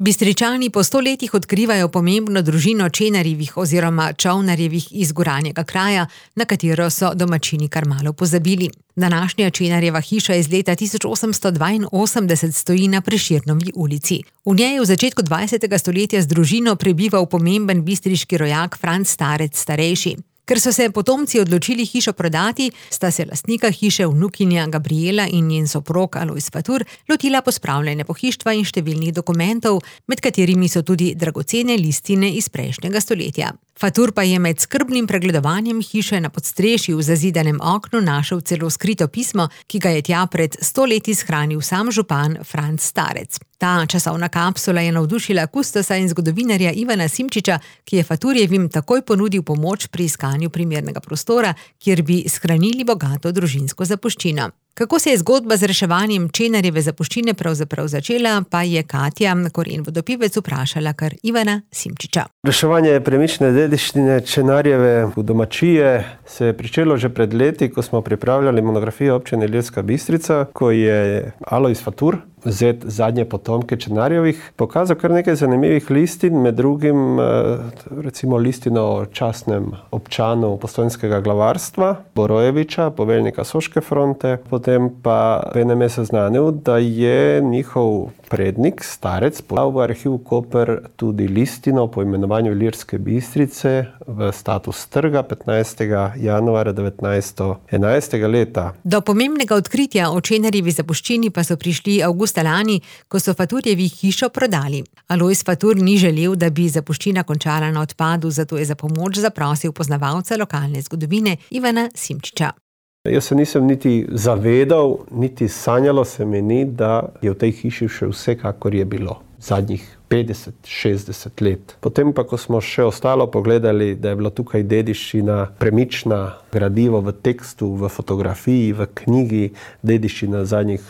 Bistričani po 100 letih odkrivajo pomembno družino Čenarjevih oziroma Čolnarjevih iz Goranjega kraja, na katero so domačini kar malo pozabili. Današnja Čenarjeva hiša iz leta 1882 stoji na Prešernovi ulici. V njej v začetku 20. stoletja z družino prebival pomemben bistriški rojak Franc Starec starejši. Ker so se potomci odločili hišo prodati, sta se lastnika hiše vnukinja Gabriela in njen soprog Alojz Fatur lotila pospravljanja pohištva in številnih dokumentov, med katerimi so tudi dragocene listine iz prejšnjega stoletja. Fatur pa je med skrbnim pregledovanjem hiše na podstrešju v zazidanem oknu našel celo skrito pismo, ki ga je tja pred 100 leti shranil sam župan Franc Starec. Ta časovna kapsula je navdušila kustosa in zgodovinarja Ivana Simčiča, ki je Faturjevim takoj ponudil pomoč pri iskanju primernega prostora, kjer bi shranili bogato družinsko zapuščino. Kako se je zgodba z reševanjem Čenarjeve zapuščine pravzaprav začela, pa je Katja Koren Vodopivec vprašala kar Ivana Simčiča. Reševanje premične dediščine Čenarjeve v domačije se je pričelo že pred leti, ko smo pripravljali monografijo občine Ilirska Bistrica, ko je Alojz Fatur, zet zadnje potomke Čenarjevih, pokazal kar nekaj zanimivih listin, med drugim recimo listino o častnem občanu Postojnskega glavarstva, Borojeviča, poveljnika Soške fronte, potem pa enem je seznanil, da je njihov prednik, Starec, podal v arhiv Koper tudi listino po imenovanju Ilirske Bistrice v status trga 15. januarja 1911. leta. Do pomembnega odkritja o Čenarjevi zapuščini pa so prišli avgusta lani, ko so Faturjevi hišo prodali. Alojz Fatur ni želel, da bi zapuščina končala na odpadu, zato je za pomoč zaprosil poznavalca lokalne zgodovine Ivana Simčiča. Jaz se nisem niti zavedal, niti sanjalo se mi ni, da je v tej hiši še vse, kakor je bilo zadnjih 50-60 let. Potem pa, ko smo še ostalo pogledali, da je bila tukaj dediščina premična, gradivo v tekstu, v fotografiji, v knjigi, dediščina zadnjih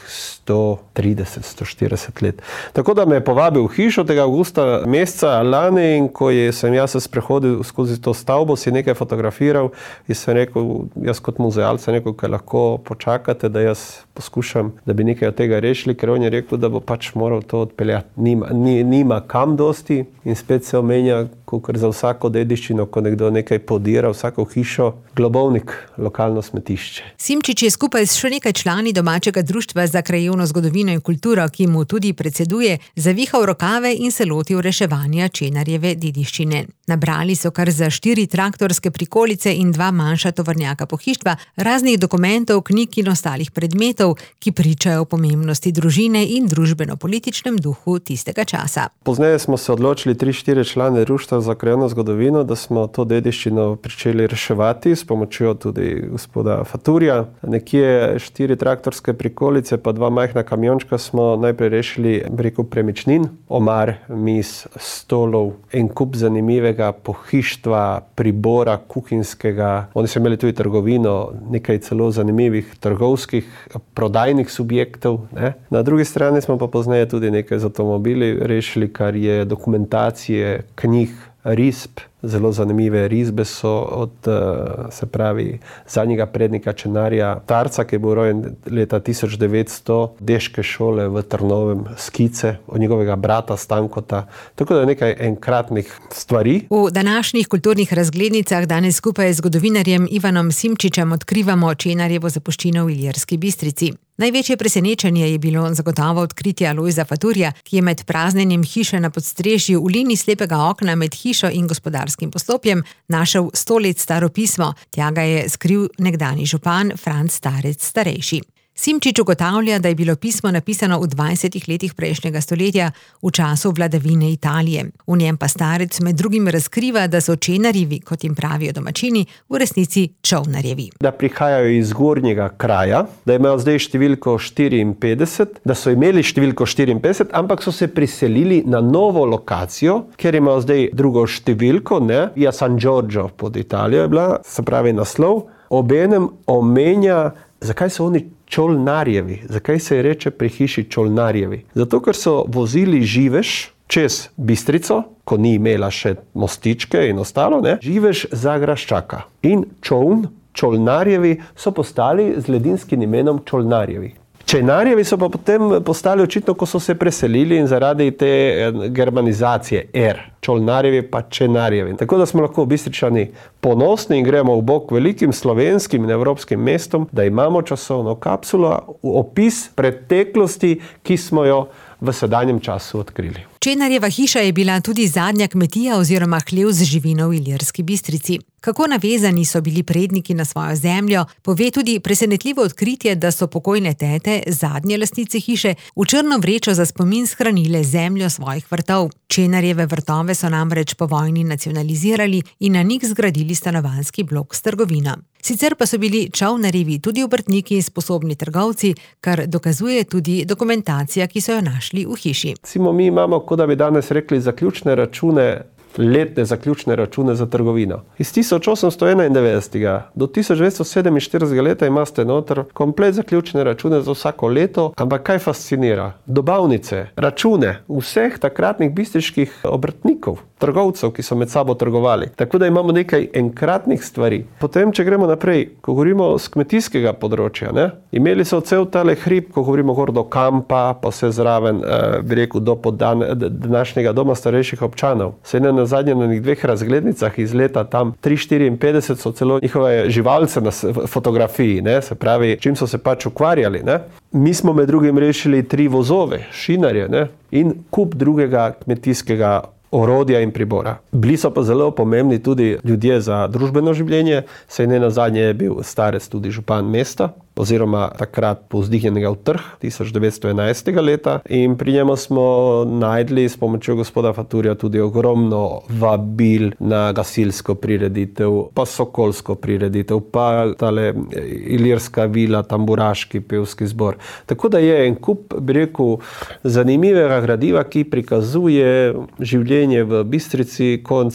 130-140 let. Tako da me je povabil v hišo tega avgusta meseca lani in ko sem jaz se sprehodil skozi to stavbo, si nekaj fotografiral in sem rekel, jaz kot muzealec sem rekel, kaj lahko počakate, da jaz poskušam, da bi nekaj od tega rešili, ker on je rekel, da bo pač moral to odpeljati. Nima kam dosti in spet se omenja, kakor za vsako dediščino, ko nekdo nekaj podira, vsako hišo, globovnik, lokalno smetišče. Simčič je skupaj s še nekaj člani domačega društva za krajevno zgodovino in kulturo, ki mu tudi predseduje, zavihal rokave in se lotil reševanja Čenarjeve dediščine. Nabrali so kar za 4 traktorske prikolice in 2 manjša tovornjaka pohištva, raznih dokumentov, knjig in ostalih predmetov, ki pričajo o pomembnosti družine in družbeno-političnem duhu tistega časa. Pozneje smo se odločili 3-4 člane društva za krajevno zgodovino, da smo to dediščino pričeli reševati s pomočjo tudi gospoda Faturja. Nekje 4 traktorske prikolice pa 2 majhna kamiončka smo najprej rešili preko premičnin, omar, miz, stolov, en kup zanimivega pohištva, pribora kuhinjskega. Oni so imeli tudi trgovino, nekaj celo zanimivih trgovskih prodajnih subjektov, ne? Na drugi strani smo pa pozneje tudi nekaj z avtomobili rešili, kar je dokumentacije, knjig, risb. Zelo zanimive risbe so od, se pravi, zadnjega prednika Čenarja Tarca, ki je bil rojen leta 1900, deške šole v Trnovem, skice od njegovega brata Stankota. Tako da je nekaj enkratnih stvari. V današnjih kulturnih razglednicah danes skupaj z zgodovinarjem Ivanom Simčičem odkrivamo Čenarjevo zapuščino v Ilirski Bistrici. Največje presenečenje je bilo zagotovo odkritje Alojza Faturja, ki je med praznjenjem hiše na podstrešju v liniji slepega okna med hišo in gospodarskim poslopjem našel 100 let staro pismo. Tja ga je skril nekdanji župan Franc Starec starejši. Simčič ugotavlja, da je bilo pismo napisano v 20 letih prejšnjega stoletja v času vladavine Italije. V njem pa Starec med drugim razkriva, da so Čenarjevi, kot jim pravijo domačini, v resnici Čolnarjevi. Da prihajajo iz Gornjega kraja, da imajo zdaj številko 54, da so imeli številko 54, ampak so se priselili na novo lokacijo, ker imajo zdaj drugo številko, ne? Via San Giorgio pod Italijo je bila, se pravi naslov. Obenem omenja, zakaj so oni Čolnarjevi. Zakaj se je reče pri hiši Čolnarjevi? Zato, ker so vozili živež čez Bistrico, ko ni imela še mostičke in ostalo, ne? Živež za graščaka. In Čolnarjevi so postali z ladinskim imenom Čolnarjevi. Čejnarjevi so pa potem postali očitno, ko so se preselili in zaradi te germanizacije Čolnarjevi pa Čejnarjevi. Tako da smo lahko Bistričani ponosni in gremo v bok velikim slovenskim in evropskim mestom, da imamo časovno kapsulo, opis preteklosti, ki smo jo v sedanjem času odkrili. Čejnarjeva hiša je bila tudi zadnja kmetija oziroma hlev z živino v Ilirski Bistrici. Kako navezani so bili predniki na svojo zemljo, pove tudi presenetljivo odkritje, da so pokojne tete, zadnje lastnice hiše, v črno vrečo za spomin shranile zemljo svojih vrtov. Čejnarjeve vrtove so namreč po vojni nacionalizirali in na njih zgradili stanovanjski blok s trgovino. Sicer pa so bili Čolnarjevi tudi obrtniki in sposobni trgovci, kar dokazuje tudi dokumentacija, ki so jo našli v hiši. Mi imamo, kot da bi danes rekli, zaključne račune, letne zaključne račune za trgovino. Iz 1891. do 1947. leta imate noter komplet zaključne račune za vsako leto, ampak kaj fascinira? Dobavnice, račune vseh takratnih bistriških obrtnikov, trgovcev, ki so med sabo trgovali. Tako da imamo nekaj enkratnih stvari. Potem, če gremo naprej, ko govorimo z kmetijskega področja, imeli so cel tale hrib, ko govorimo gor do kampa, pa vse zraven, bi rekel, do današnjega doma starejših občanov. Na zadnje na njih 2 razglednicah iz leta tam 354 so celo njihove živalce na fotografiji, se pravi, čim so se pač ukvarjali. Mi smo med drugim rešili 3 vozove, šinarje, in kup drugega kmetijskega orodja in pribora. Bili so pa zelo pomembni tudi ljudje za družbeno življenje, saj na zadnje je bil starec tudi župan mesta, oziroma takrat povzdignjenega v trg 1911. leta in pri njemu smo najdli s pomočjo gospoda Faturja tudi ogromno vabil na gasilsko prireditev, pa sokolsko prireditev, pa tale ilirska vila, tamburaški pevski zbor. Tako da je en kup, bi rekel, zanimivega gradiva, ki prikazuje življenje v Bistrici konc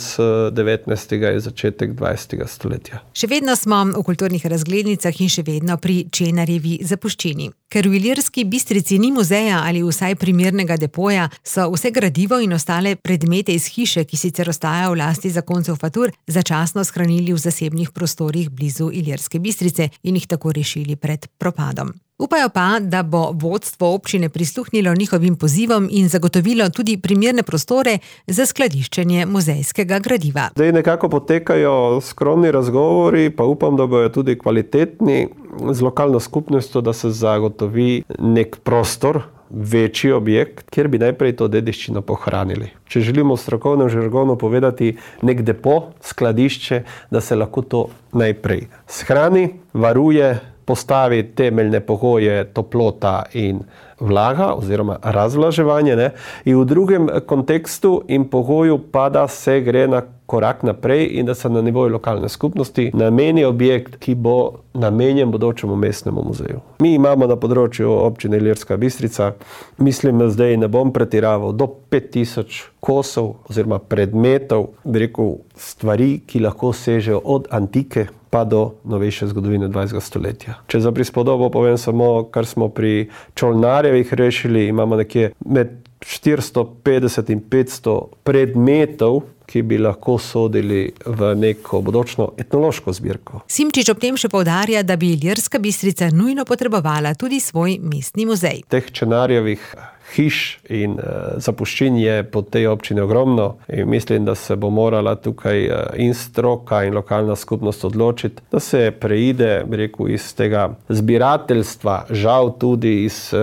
19. in začetek 20. stoletja. Še vedno smo v kulturnih razglednicah in še vedno pri Čejnarjevi zapuščini. Ker v Ilirski Bistrici ni muzeja ali vsaj primernega depoja, so vse gradivo in ostale predmete iz hiše, ki sicer ostajajo v lasti zakoncev Fatur, začasno shranili v zasebnih prostorih blizu Ilirske Bistrice in jih tako rešili pred propadom. Upajo pa, da bo vodstvo občine prisluhnilo njihovim pozivom in zagotovilo tudi primerne prostore za skladiščenje muzejskega gradiva. Zdaj nekako potekajo skromni razgovori, pa upam, da bojo tudi kvalitetni z lokalno skupnostjo, da se zagotovi nek prostor, večji objekt, kjer bi najprej to dediščino pohranili. Če želimo v strokovnem žargonu povedati nek depo, skladišče, da se lahko to najprej shrani, varuje, postavi temeljne pogoje, toplota in vlaga oziroma razvlaževanje, in v drugem kontekstu in pogoju pa, da se gre na korak naprej in da se na nivoju lokalne skupnosti nameni objekt, ki bo namenjen bodočemu mestnemu muzeju. Mi imamo na področju občine Ilirska Bistrica, mislim, zdaj ne bom pretiraval, do 5000 kosov oziroma predmetov, bi rekel, stvari, ki lahko sežejo od antike pa do novejše zgodovine 20. stoletja. Če za prispodobo povem samo, kar smo pri Čolnarjevih rešili, imamo nekje med 450 in 500 predmetov, ki bi lahko sodili v neko bodočno etnološko zbirko. Simčič ob tem še poudarja, da bi Ilirska Bistrica nujno potrebovala tudi svoj mestni muzej. Teh Čejnarjevih hiš in zapuščin je po tej občini ogromno in mislim, da se bo morala tukaj in stroka in lokalna skupnost odločiti, da se preide, bi rekel, iz tega zbirateljstva, žal tudi iz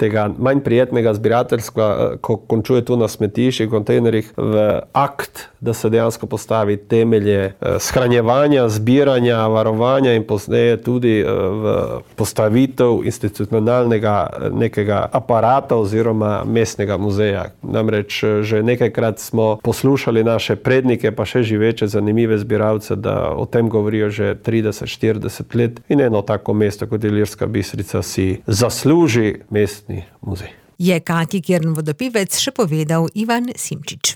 tega manj prijetnega zbirateljstva, ko končuje tu na smetiščih, kontejnerjih, v akt, da se dejansko postavi temelje shranjevanja, zbiranja, varovanja in pozneje tudi v postavitev institucionalnega nekega aparata oziroma mestnega muzeja. Namreč že nekajkrat smo poslušali naše prednike, pa še živeče zanimive zbiralce, da o tem govorijo že 30-40 let in eno tako mesto kot Ilirska Bistrica si zasluži mestni muzej. Je Katji Kirn Vodopivec še povedal Ivan Simčič.